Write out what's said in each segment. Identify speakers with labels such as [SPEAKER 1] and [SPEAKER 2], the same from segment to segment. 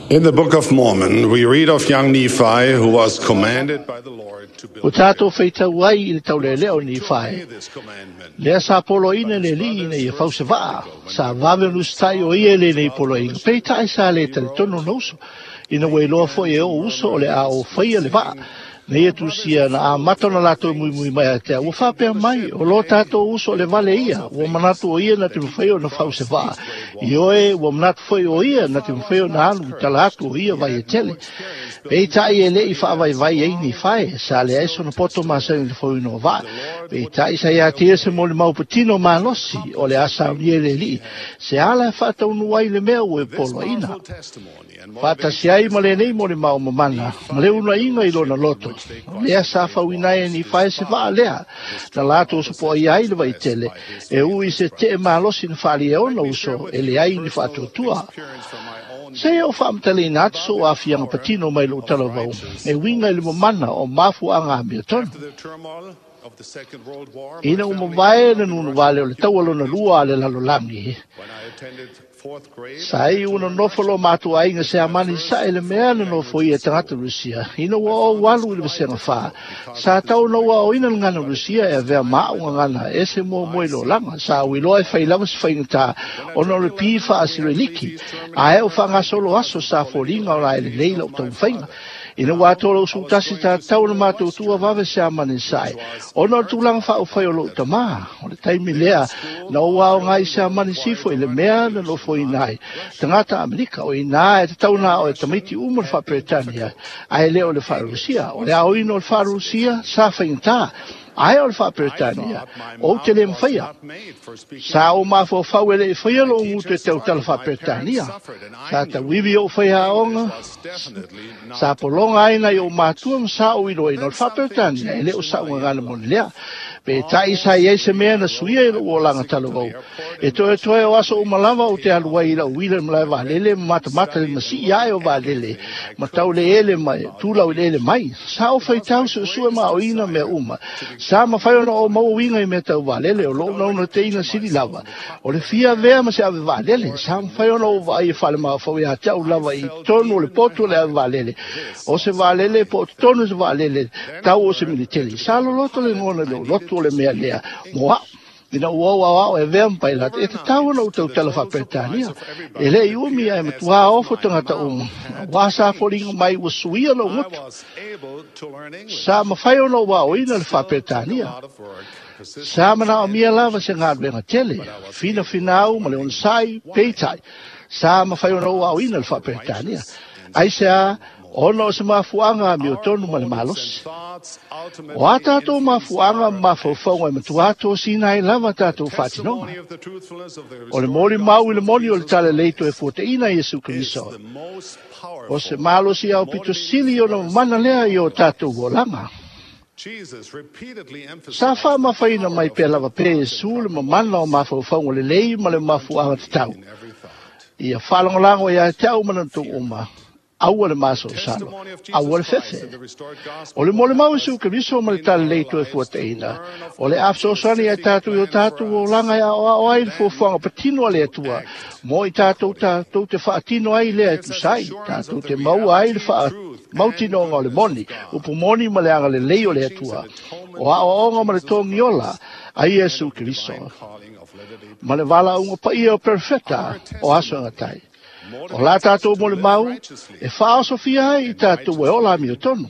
[SPEAKER 1] In the Book of Mormon, we read of young Nephi who was commanded by the Lord to build
[SPEAKER 2] Ua tatou faitau ai i le taulealea o Nifae,
[SPEAKER 1] this commandment.
[SPEAKER 2] lea sa poloaiina e le Alii ina ia fau se vaa. Sa vave ona usitai o ia i lenei poloaiga, peitai sa le talitonu ona uso, ina ua iloa foi e o'u uso o le a o faia le vaa. Na ia tusia na amata ona latou muimui mai ia te au, ua faapea mai, O lo tatou uso o le vale ia, ua manatu o ia na te mafai ona fau se vaa. Ioe, ua manatu foi o ia na te mafai ona alu i tala atu o ia vai e tele. Peitai e le i faavaivai ai Nifae, sa leai sona poto masani i le fauina o vaa. Peitai sa ia te ia se molimau patino malosi o le a saunia e le Alii se ala e faataunuu ai le mea ua e poloaiina. Faatasi ai ma lenei molimau mamana ma le uunaiga i lona loto, lea sa fauina ai e Nifae se vaa lea na latou sopoaia ai le vaitele, e ui i se tee malosi na faaalia e ona uso e leai ni faatuatua. Se i ou faamatalaina atu sou aafiaga patino mai lou talavou e uiga i le mamana o mafuaaga amiotonu. Ina ua mavae le nunuvale o le taua lona lua a le lalolagi, Sa iu ona nofo lo matou aiga Siamani sae le mea na nofoia e tagata Rusia ina ua ou alu i le vasega fa. Sa tau ona ou aoina le gagana Rusia e avea ma au gagana ese muamua i lolaga. Sa ou iloa e fai lava se faigata ona o le pi faa-Siriliki, ae o faagasolo aso sa foliga o la e lelei lau taumafaiga. Ina ua atoa lou sutasi tatau ona matou tuua vave Siamani sae, ona o le tulaga faaufai o lou tamā. O le taimi lea na ou aoga ai Siamani sifo i le mea na nofoina ai tagata Amerika, o inā e tatau ona ao e tamaiti uma le faa-Peretania, ae le o le faa-Rusia. O le aoina o le faa-Rusia sa faigata, ae o le faa-Peretania ou te le mafaia. Sa ou mafaufau e le i faia lou gutu e tautala faa-Peretania. Sa tauivi ou faiaoga, sa pologa ai nai ou matua ma sa ou iloaina o le faa-Peretania e le o sa'u gagana moni lea. Peitai sa i ai se mea na suia i lou olaga talavou. E toetoe o aso uma lava ou te alu ai i lau uila i le malae vaalele ma matamata i le masii ae o vaalele ma tauleele mai, tulaueleele mai. Sa ou faitau suesue ma aoina mea uma. Sa mafai ona ou maua uiga i mea tau vaalele o lou naunautaiga sili lava. O le fia avea ma se ave vaalele. Sa mafai ona ou vaai e falemafaufau ia te au lava i totonu o le potu o le ave vaalele. O se vaalele po o totonu o se vaalele tau o se militeli. Sa loloto le gona i lou loto o le mea lea mo a'u. Ina ua ou aoao e avea ma pailate, e tatau ona ou tautala faa-Peretania. E le i umi ae matuā ofo tagata uma, aua sa foliga mai ua suia lou gutu. Sa mafai ona ou aoina le faa-Peretania. Sa manaomia lava se galuega tele, finafinau ma le onosai, peitai, sa mafai ona ou aoina le faa-Peretania. Aisea? Ona o se mafuaaga amiotonu ma le malosi. O a tatou mafuaaga ma mafaufauga e matua tosina ai lava tatou faatinoga. O le molimau i le moni o le Talalelei toe fuataina Iesu Keriso, o se malosi aupito sili ona mamana lea i o tatou olaga. Sa faamafaina mai pea lava pea Iesu le mamana o mafaufauga lelei ma le mafuaaga tatau. Ia faalagolago ia te au ma le uma, aua le masalosalo, aua le fefe. O le molimau Iesu Keriso ma le Talalelei toe fuataina, o le a fesoasoani ia tatou i o tatou olaga e aoao ai le fuafuaga patino a le Atua mo i tatou tatou te faatino ai lea e tusa ai, tatou te maua ai le faamautinoga o le moni, upu moni ma le agalelei o le Atua, o aoaoga ma le togiola a Iesu Keriso, ma le valaauga paia o perofeta o aso e gatai. O la tatou molimau e faaosofia ai i tatou e ola amiotonu,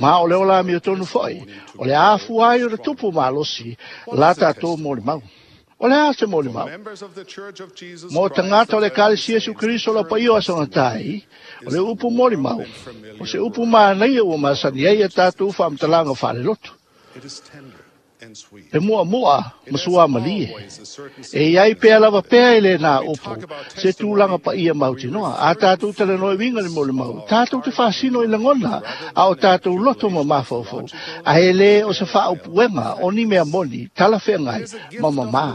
[SPEAKER 2] ma o le ola amiotonu foi, o le a afua ai ona tupu malosi la tatou molimau. O le a se molimau? Mo tagata o le Ekalesia Iesu Keriso lau paia o aso gatai, o le upu molimau, o se upu manaia ua masani ai a tatou faamatalaga faalelotu. E muamua ma suamalie. E i ai pea lava pea i lena upu, se tulaga paia mautinoa. A tatou talanoa i uiga le molimau, tatou te faasino i lagona a o tatou loto ma mafaufau, a e le o se faaupuega o ni mea moni, talafeagai, ma mamā.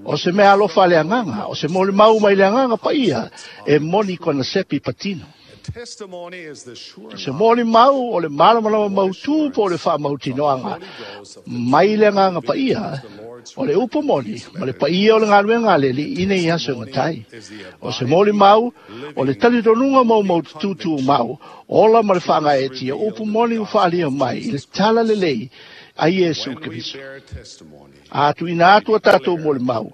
[SPEAKER 2] O se mea alofa a le agaga, o se molimau mai le agaga paia, e moni kona sepi patino. Se molimau o le malamalama mautū po o le faamautinoaga mai le agaga paia, O le upu moni, ma le paia o le galuega a le Alii i nei aso e gatai. O se molimau, o le talitonuga maumaututu tumau, ola ma le faagaeetia upu moni ua faaalia mai i le talalelei a Iesu Keriso. A tuuina atu a tatou molimau,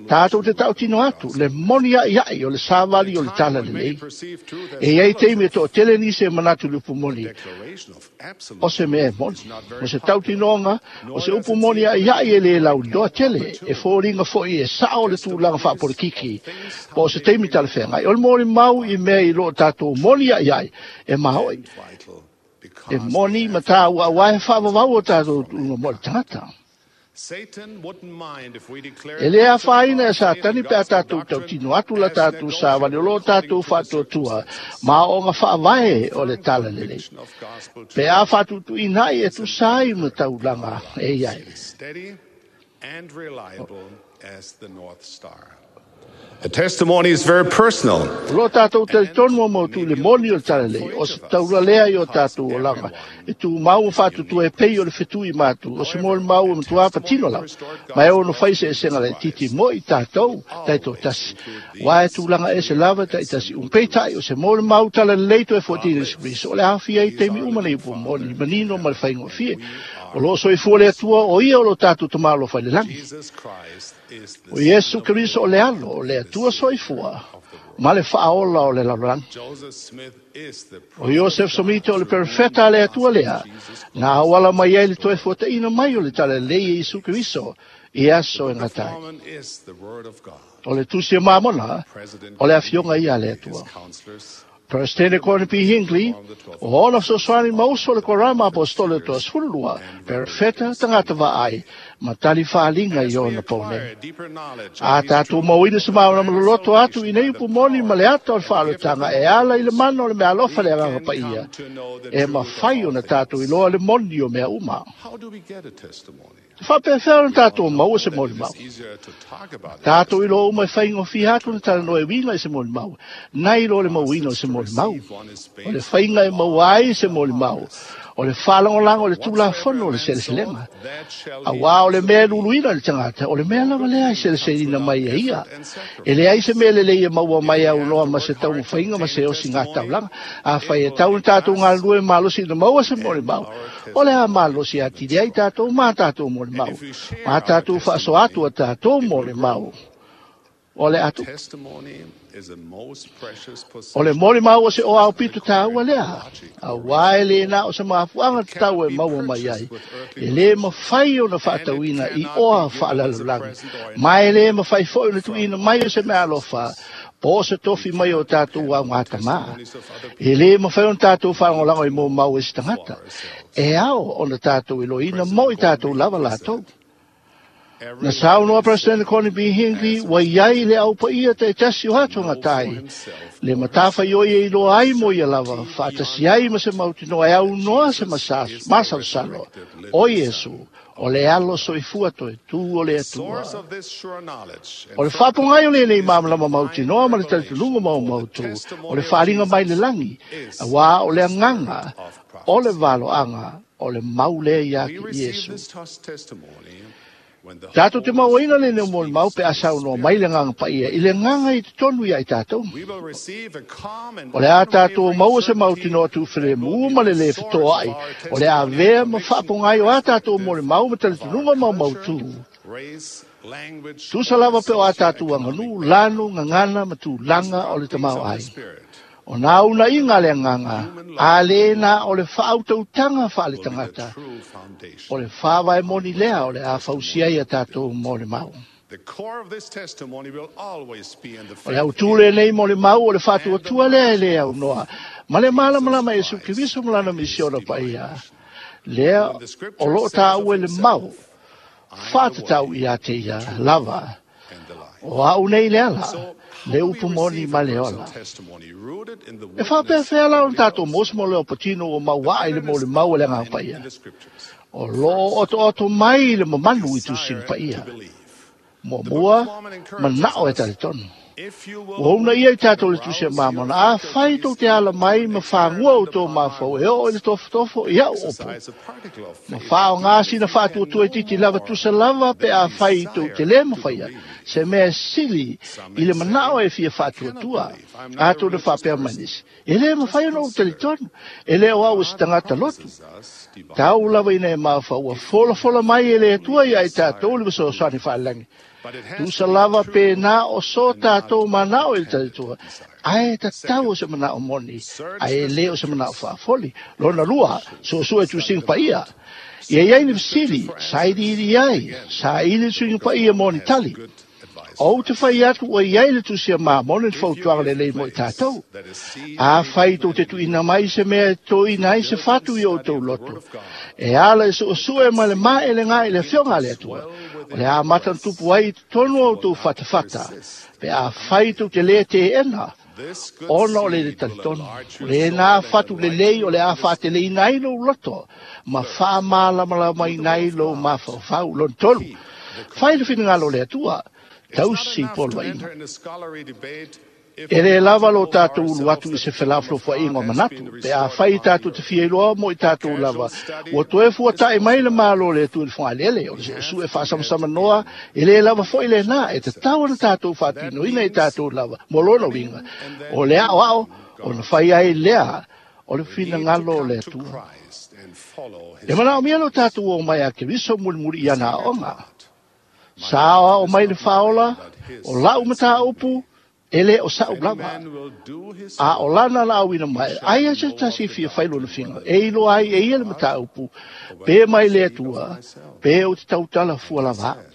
[SPEAKER 2] tatou te tautino atu le moni a'ia'i o le savali o le talalelei. E i ai taimi e to'atele nisi e manatu i le upu moni o se mea e moni. O se tautinoga, o se upu moni a'ia'i e lē lauiloa tele, e foliga fo'i e sa'o le tulaga fa'apolokiki, po o se taimi talafeagai. O le molimau i mea i loo tatou moni a'ia'i e mao'i. E moni ma tāua auā e faavavau o tatou tuuga mo le tagata. E lē afaina e Satani pe a tatou tautino atu la tatou savali o loo tatou faatuatua ma aoaoga faavae o le talalelei. Pe a faatuutuuina ai e tusa ai ma taulaga e i ai.
[SPEAKER 1] A testimony is very personal.
[SPEAKER 2] O lo tatou talitonu o mautu i le moni o le talalelei, o se taula lea i o tatou olaga, e tumau ma faatuatua e pei o le fetui matu, o se molimau e matua patino lava, ma e ono fai eseesega laitiiti mo i tatou taitoatasi, aua e tulaga ese lava taitasi uma. Peitai, o se molimau talalelei toe fuatina i Iesu Keriso, o le aofia ai taimi uma nei upu moni, manino ma le faigofie. O lo o soifua le Atua, o ia o lo tatou Tama alofa i le lagi. O Iesu Keriso o le Alo o le Atua soifua ma le Faaola o le lalolagi. O Iosef Somita o le perofeta a le Atua lea, na auala mai ai le toe fuataina mai o le talalelei e Iesu Keriso i aso e gata ai. O le Tusi a Mamona, o le Afioga ia a le Atua. Peresetene Gordon B. Hinckley, o ona fesoasoani ma uso o le Korama Aposetolo o le Toasefululua, Perofeta, tagata vaai, ma tali faaaliga i ona pou nei. A tatou mauina se malamalama loloto atu i nei upu moni ma le ata o le faaolotaga e ala i le mana o le meaalofa le Agaga Paia, e mafai ona tatou iloa le moni o mea uma. E faapefea ona tatou maua se molimau? Tatou iloa uma e faigofie atu ona talanoa e uiga i se molimau, nai lo le mauina o se molimau. O le faiga e maua ai se molimau, o le faalagolago i le tulafono o le seleselega. Auā o le mea e luluina i le tagata, o le mea lava lea e seleseleina mai e ia. E leai se mea lelei e maua mai aunoa ma se taumafaiga ma se osiga taulaga. Afai e tau ona tatou galulue malosi ina maua se molimau, O le a malosi atili ai tatou ma tatou molimau, ma tatou faasoa atu a tatou molimau. O le atu. O le molimau o se oao pito tāua lea, auā e lē na o se mafuaaga tatau e maua mai ai, e lē mafai ona faatauina i oa faalalolagi, ma e lē mafai foi ona tuuina mai o se meaalofa po o se tofi mai o tatou augatama. E lē mafai ona tatou faalagolago i molimau e se tagata. E ao ona tatou iloina mo i tatou lava latou. Na saunoa President Gordon B. Hinckley ua i ai le au paia taitasi o atuagatai, le matafaioi e iloa ai mo ia lava, faatasi ai ma se mautinoa e aunoa se masalosalo o Iesu, o le alo soifua toe tū o le Atua. O le faapogai o lenei malamalama mautinoa ma le talitonuga maumautu, o le faaaliga mai le lagi, auā o le agaga o le valoaga o le mau lea ia te Iesu. Tatou te mauaina lenei molimau pe a saunoa mai le Agaga Paia i le agaga i totonu ia i tatou. O le a tatou maua se mautinoa tuufelemu ma le lē fetoai, o le avea ma faapogai o a tatou molimau ma talitonuga maumautu. Tusa lava pe o a tatou aganuu, lanu, gagana ma tulaga o le tamaoaiga. O nā unaiga a le agaga, a lē na o le faautautaga faaletagata, o le faavae moni lea o le a fausia ai a tatou molimau. O le autū lenei molimau o le faatuatua lea e lē aunoa ma le malamalama i Iesu Keriso ma Lana misiona paia, lea o loo tāua i le mau faatatau ia te ia lava. O au nei le ala, le upu moni ma le ola. E faapefea la ona tatou maua se leo patino ua mauaa i le molimau a le Agaga Paia? O loo otooto mai le mamalu i Tusina Paia. Muamua, manao e talitonu. Ua uunaia i tatou le Tusi a Mamona, Afai tou te ala mai ma fagua outou mafaufau e oo i le tofotofo i au upu, ma faaaoga sina faatuatua itiiti lava tusa lava pe afai tou te le mafaia se mea e sili i le manao e fia faatuatua. Atonu faapea mai nisi, E le mafai ona ou talitonu, e le o au o se tagata lotu. Tau lava ina e mafaufau ua folafola mai e le Atua ia i tatou le fesoasoani faalelagi. Tusa lava pe na o so tatou manao i le talitua, ae tatau o se manao moni, ae e le o se manao faafoli. Lona lua, suesue tusiga paia. Ia i ai ni fesili, sailiili ai, saili le suiga paia mo ni tali. Ou te fai atu ua i ai le Tusi a Mamone le fautuaga lelei mo i tatou. Afai tou te tuuina mai se mea e toina ai se fatu i outou loto, e ala i suesue ma le maelega i le Afioga a le Atua, o le a amata ona tupu ai i totonu o outou fatafata, pe afai tou te le teena, ona o le le talitonu, o lena fatu lelei o le a faateleina ai lou loto, ma faamalamalamaina ai lou mafaufau. Lona tolu, fai le finagalo o le Atua, tausi poloaiga. E le lava lo tatou ulu atu i se felafolafoaiga o manatu, pe afai tatou te fia iloa mo i tatou lava, ua toe fuata'i mai le Malo o le Atua i le fogaeleele, o le suesue faasamasamanoa, e le lava foi lena, e tatau ona tatou faatinoina i tatou lava, mo lona uiga, o le aoao ona fai ai lea o le finagalo o le Atua. E manaomia lo tatou o mai a Keriso mulimuli i ana aoga. Sa aoao mai le Faaola, o lau mataupu, e le o sa'u lava, a o lana laauina mai, aia se tasi e fia fai lona figa, e iloa ai e ia le mataupu, pe mai le Atua, pe ou te tautala fua lava au.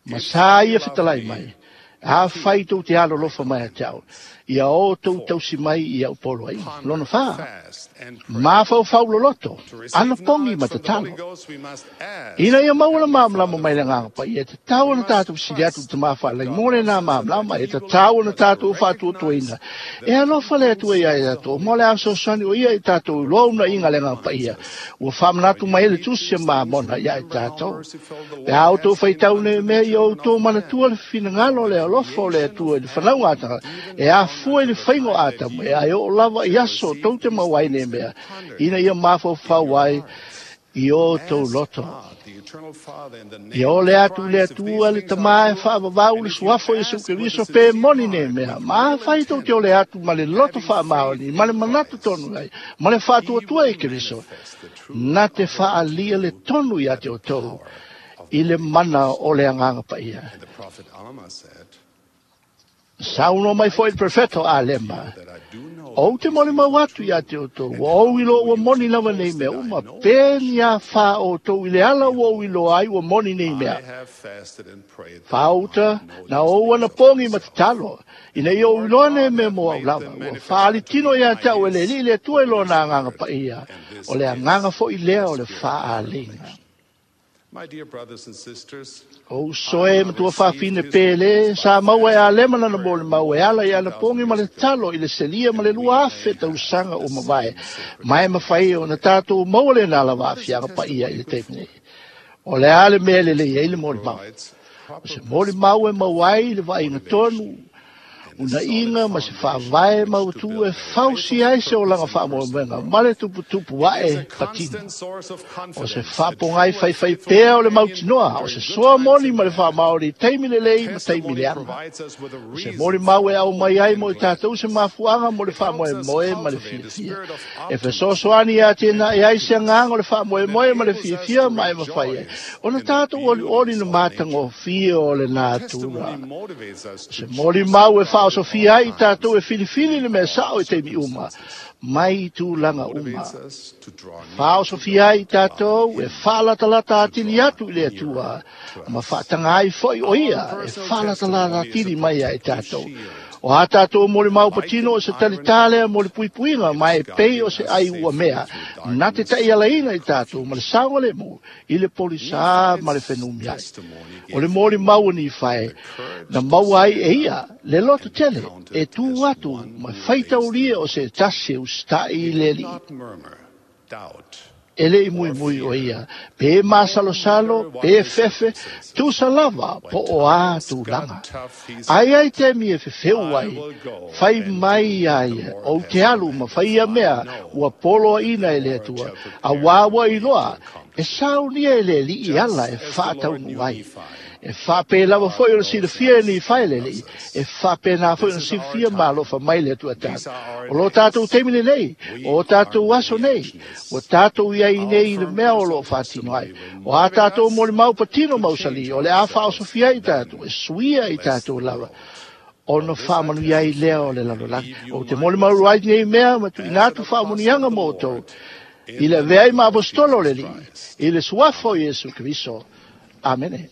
[SPEAKER 2] Ma sa ia fetalai mai, Afai tou te alolofa mai ia te au, ia outou tausi mai i au poloaiga. Lona fa, mafaufau loloto, anapogi ma tatalo. Ina ia maua le malamalama mai le Agaga Paia, e tatau ona tatou fesili atu i le Tama Faalelagi mo lena malamalama, e tatau ona tatou faatuatuaina. E alofa le Atua ia i tatou, mo le a fesoasoani o ia i tatou i loa unaiga a le Agaga Paia, ua faamanatu mai ai le Tusi a Mamona ia i tatou. Pe a outou faitau nei mea ia outou manatua le finagalo o le alofa o le Atua i le fanauga a tagata, e afua i le faiga o Atamu, e ai oo lava i aso tou te maua ai nei mea, ina ia mafaufau ai i outou loto. Ia ole atu i le Atua le Tama e faavavau le suafa o Iesu Keriso pe moni nei mea, ma afai tou te ole atu ma le loto faamaoni, ma le manatu tonu ai, ma le faatuatua i Keriso, na te faaalia le tonu ia te outou i le mana o le Agaga Paia. Saunoa mai foi le perfeto Alema, Ou te molimau atu ia te outou, ua ou iloa ua moni lava nei mea uma, pe ni a whā outou i le ala ua ou iloa ai ua moni nei mea. Whāuta, na ou anapogi ma tatalo, ina ia ou iloa nei mea mo au lava, ua faaali tino ia te au e le Alii le Atua i lona Agaga Paia, o le agaga foi lea o le faaliga. O uso e matua fafine pele, sa maua e Alema lana molimau e ala i anapogi ma le tatalo i le selia ma le 2000 tausaga ua mavae, ma e mafai ona tatou maua lena lava aafiaga paia i le taimi nei. O le a le mea e lelei ai le molimau? O se molimau e maua ai le vaaiga tonu, unaiga ma se faavae mautu e fausia ai se olaga faamoemoega ma le tuputupu ae patino. O se faapogai faifai pea o le mautinoa, o se soa moni ma le faamaoni i taimi lelei ma taimi leaga. O se molimau e aumai ai mo i tatou se mafuaaga mo le faamoemoe ma le fiafia. E fesoasoani ia tēnā e ai se agaga o le faamoemoe ma le fiafia ma e mafai ai ona tatou olioli le matagofie o le natura. O se molimau e faaosofia ai i tatou e filifili le mea sao i taimi uma, mai i tulaga uma. Faaosofia ai i tatou e faalatalata atili atu i le Atua, ma faataga ai foi o ia e faalatalata atili mai ia i tatou. O a tatou molimau patino o se talitā lea mo le puipuiga, ma e pei o se ai ua mea, na te taialaina i tatou ma le saogalemu i le polisā ma le fenumiai. O le molimau o Nifae, na maua ai e ia le loto tele e tū atu ma faitaulia o se tasi e usitai i le Alii. E le i muimui o ia, pe masalosalo, pe fefe, tusa lava po o a tulaga. Ai ai taimi e fefeu ai, fai mai ia ia, ou te alu ma fai ia mea, ua poloaiina e le Atua, auā ua iloa, e saunia e le Alii ala e faataunuu ai. E faapea lava foi o le silafia e Nifae e le Alii, e faapena foi ona silafia ma alofa mai le Atua tatou. O lo tatou taimi lenei, o tatou aso nei, ua tatou i ai nei i le mea o lo o faatino ai. O a tatou molimau patino mausali, o le a faaosofia ai tatou, e suia i tatou lava, ona faamanuia ai lea o le lalolagi. Ou te molimau ai nei mea ma tuuina atu faamanuiaga mo outou, i le avea ai ma aposetolo o le Alii, i le suafa o Iesu Keriso. Amene.